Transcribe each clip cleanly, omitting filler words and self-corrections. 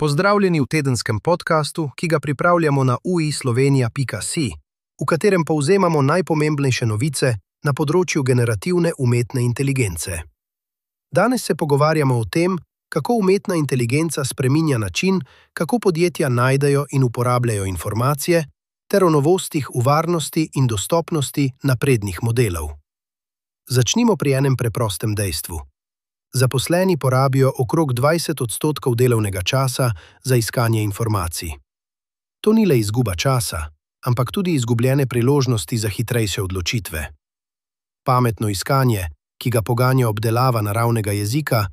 Pozdravljeni v tedenskem podkastu, ki ga pripravljamo na uislovenija.si, v katerem povzemamo najpomembnejše novice na področju generativne umetne inteligence. Danes se pogovarjamo o tem, kako umetna inteligenca spreminja način, kako podjetja najdejo in uporabljajo informacije, ter o novostih v varnosti in dostopnosti naprednih modelov. Začnimo pri enem preprostem dejstvu. Zaposleni porabijo okrog 20% delovnega časa za iskanje informacij. To ni le izguba časa, ampak tudi izgubljene priložnosti za hitrejše odločitve. Pametno iskanje, ki ga poganja obdelava naravnega jezika,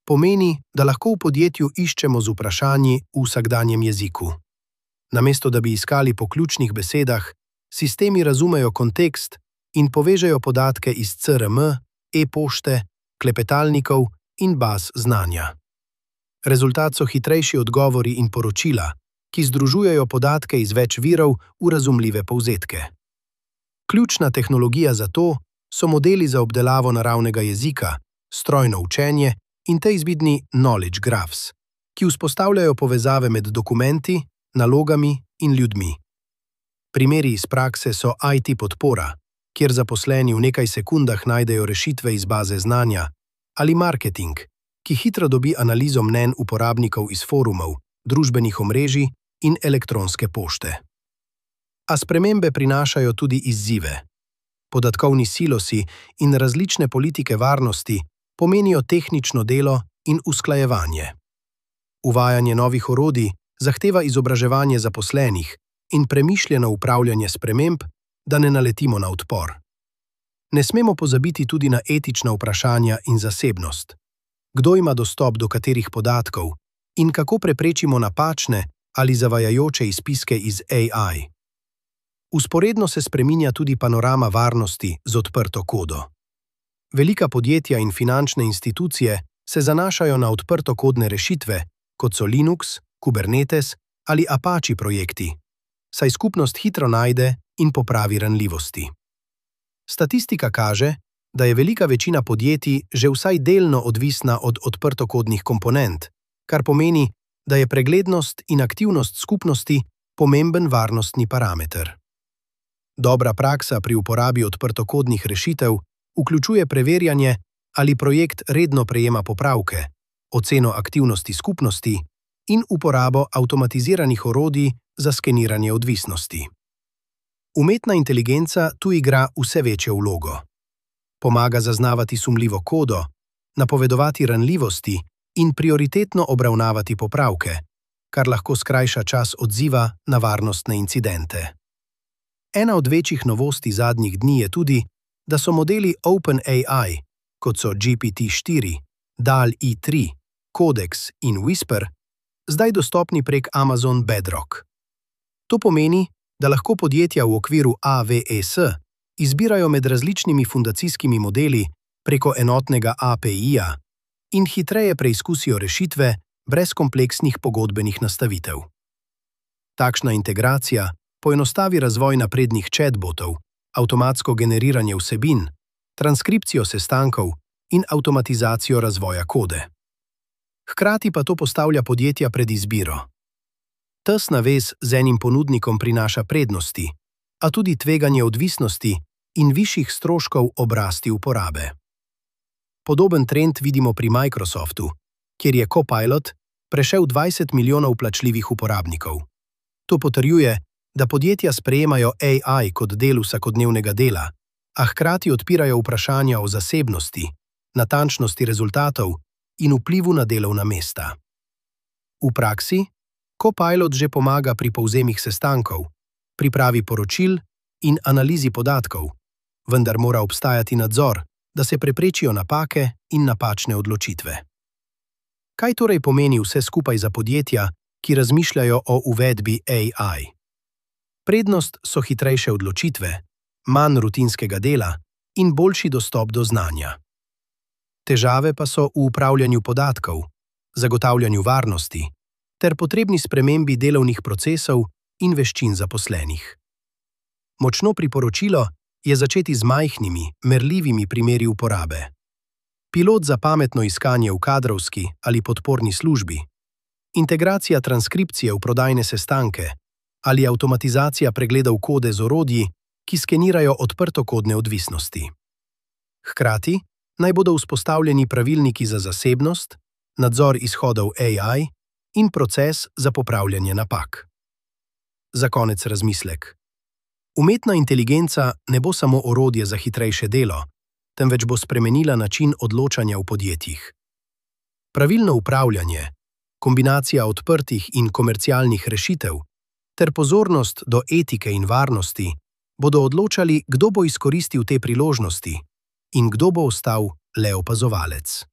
pomeni, da lahko v podjetju iščemo z vprašanji v vsakdanjem jeziku. Namesto da bi iskali po ključnih besedah, sistemi razumejo kontekst in povežejo podatke iz CRM, e-pošte, klepetalnikov in baz znanja. Rezultat so hitrejši odgovori in poročila, ki združujejo podatke iz več virov v razumljive povzetke. Ključna tehnologija za to so modeli za obdelavo naravnega jezika, strojno učenje in te izvidni knowledge graphs, ki vzpostavljajo povezave med dokumenti, nalogami in ljudmi. Primeri iz prakse so IT podpora, kjer zaposleni v nekaj sekundah najdejo rešitve iz baze znanja, ali marketing, ki hitro dobi analizo mnenj uporabnikov iz forumov, družbenih omrežij in elektronske pošte. A spremembe prinašajo tudi izzive. Podatkovni silosi in različne politike varnosti pomenijo tehnično delo in usklajevanje. Uvajanje novih orodij zahteva izobraževanje zaposlenih in premišljeno upravljanje sprememb, da ne naletimo na odpor. Ne smemo pozabiti tudi na etična vprašanja in zasebnost. Kdo ima dostop do katerih podatkov in kako preprečimo napačne ali zavajajoče izpiske iz AI. Vzporedno se spreminja tudi panorama varnosti z odprto kodo. Velika podjetja in finančne institucije se zanašajo na odprtokodne rešitve, kot so Linux, Kubernetes ali Apache projekti, saj skupnost hitro najde in popravi ranljivosti. Statistika kaže, da je velika večina podjetij že vsaj delno odvisna od odprtokodnih komponent, kar pomeni, da je preglednost in aktivnost skupnosti pomemben varnostni parameter. Dobra praksa pri uporabi odprtokodnih rešitev vključuje preverjanje, ali projekt redno prejema popravke, oceno aktivnosti skupnosti in uporabo avtomatiziranih orodij za skeniranje odvisnosti. Umetna inteligenca tu igra vse večjo vlogo. Pomaga zaznavati sumljivo kodo, napovedovati ranljivosti in prioritetno obravnavati popravke, kar lahko skrajša čas odziva na varnostne incidente. Ena od večjih novosti zadnjih dni je tudi, da so modeli OpenAI, kot so GPT-4, DALL-E 3, Codex in Whisper, zdaj dostopni prek Amazon Bedrock. To pomeni, da lahko podjetja v okviru AWS izbirajo med različnimi fundacijskimi modeli preko enotnega API-ja in hitreje preizkusijo rešitve brez kompleksnih pogodbenih nastavitev. Takšna integracija poenostavi razvoj naprednih chatbotov, avtomatsko generiranje vsebin, transkripcijo sestankov in avtomatizacijo razvoja kode. Hkrati pa to postavlja podjetja pred izbiro. Tesna vez z enim ponudnikom prinaša prednosti, a tudi tveganje odvisnosti in višjih stroškov obrasti uporabe. Podoben trend vidimo pri Microsoftu, kjer je Copilot prešel 20 milijonov plačljivih uporabnikov. To potrjuje, da podjetja sprejemajo AI kot del vsakodnevnega dela, a hkrati odpirajo vprašanja o zasebnosti, natančnosti rezultatov in vplivu na delovna mesta. V praksi Copilot že pomaga pri povzemih sestankov, pripravi poročil in analizi podatkov, vendar mora obstajati nadzor, da se preprečijo napake in napačne odločitve. Kaj torej pomeni vse skupaj za podjetja, ki razmišljajo o uvedbi AI? Prednost so hitrejše odločitve, manj rutinskega dela in boljši dostop do znanja. Težave pa so v upravljanju podatkov, zagotavljanju varnosti ter potrebni spremembi delovnih procesov in veščin zaposlenih. Močno priporočilo je začeti z majhnimi, merljivimi primeri uporabe. Pilot za pametno iskanje v kadrovski ali podporni službi, integracija transkripcije v prodajne sestanke ali avtomatizacija pregledov kode z orodji, ki skenirajo odprtokodne odvisnosti. Hkrati naj bodo vzpostavljeni pravilniki za zasebnost, nadzor izhodov AI in proces za popravljanje napak. Za konec razmislek. Umetna inteligenca ne bo samo orodje za hitrejše delo, temveč bo spremenila način odločanja v podjetjih. Pravilno upravljanje, kombinacija odprtih in komercialnih rešitev ter pozornost do etike in varnosti bodo odločali, kdo bo izkoristil te priložnosti in kdo bo ostal le opazovalec.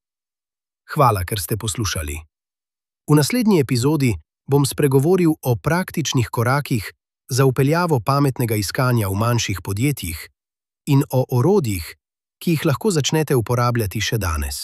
Hvala, ker ste poslušali. V naslednji epizodi bom spregovoril o praktičnih korakih za vpeljavo pametnega iskanja v manjših podjetjih in o orodjih, ki jih lahko začnete uporabljati še danes.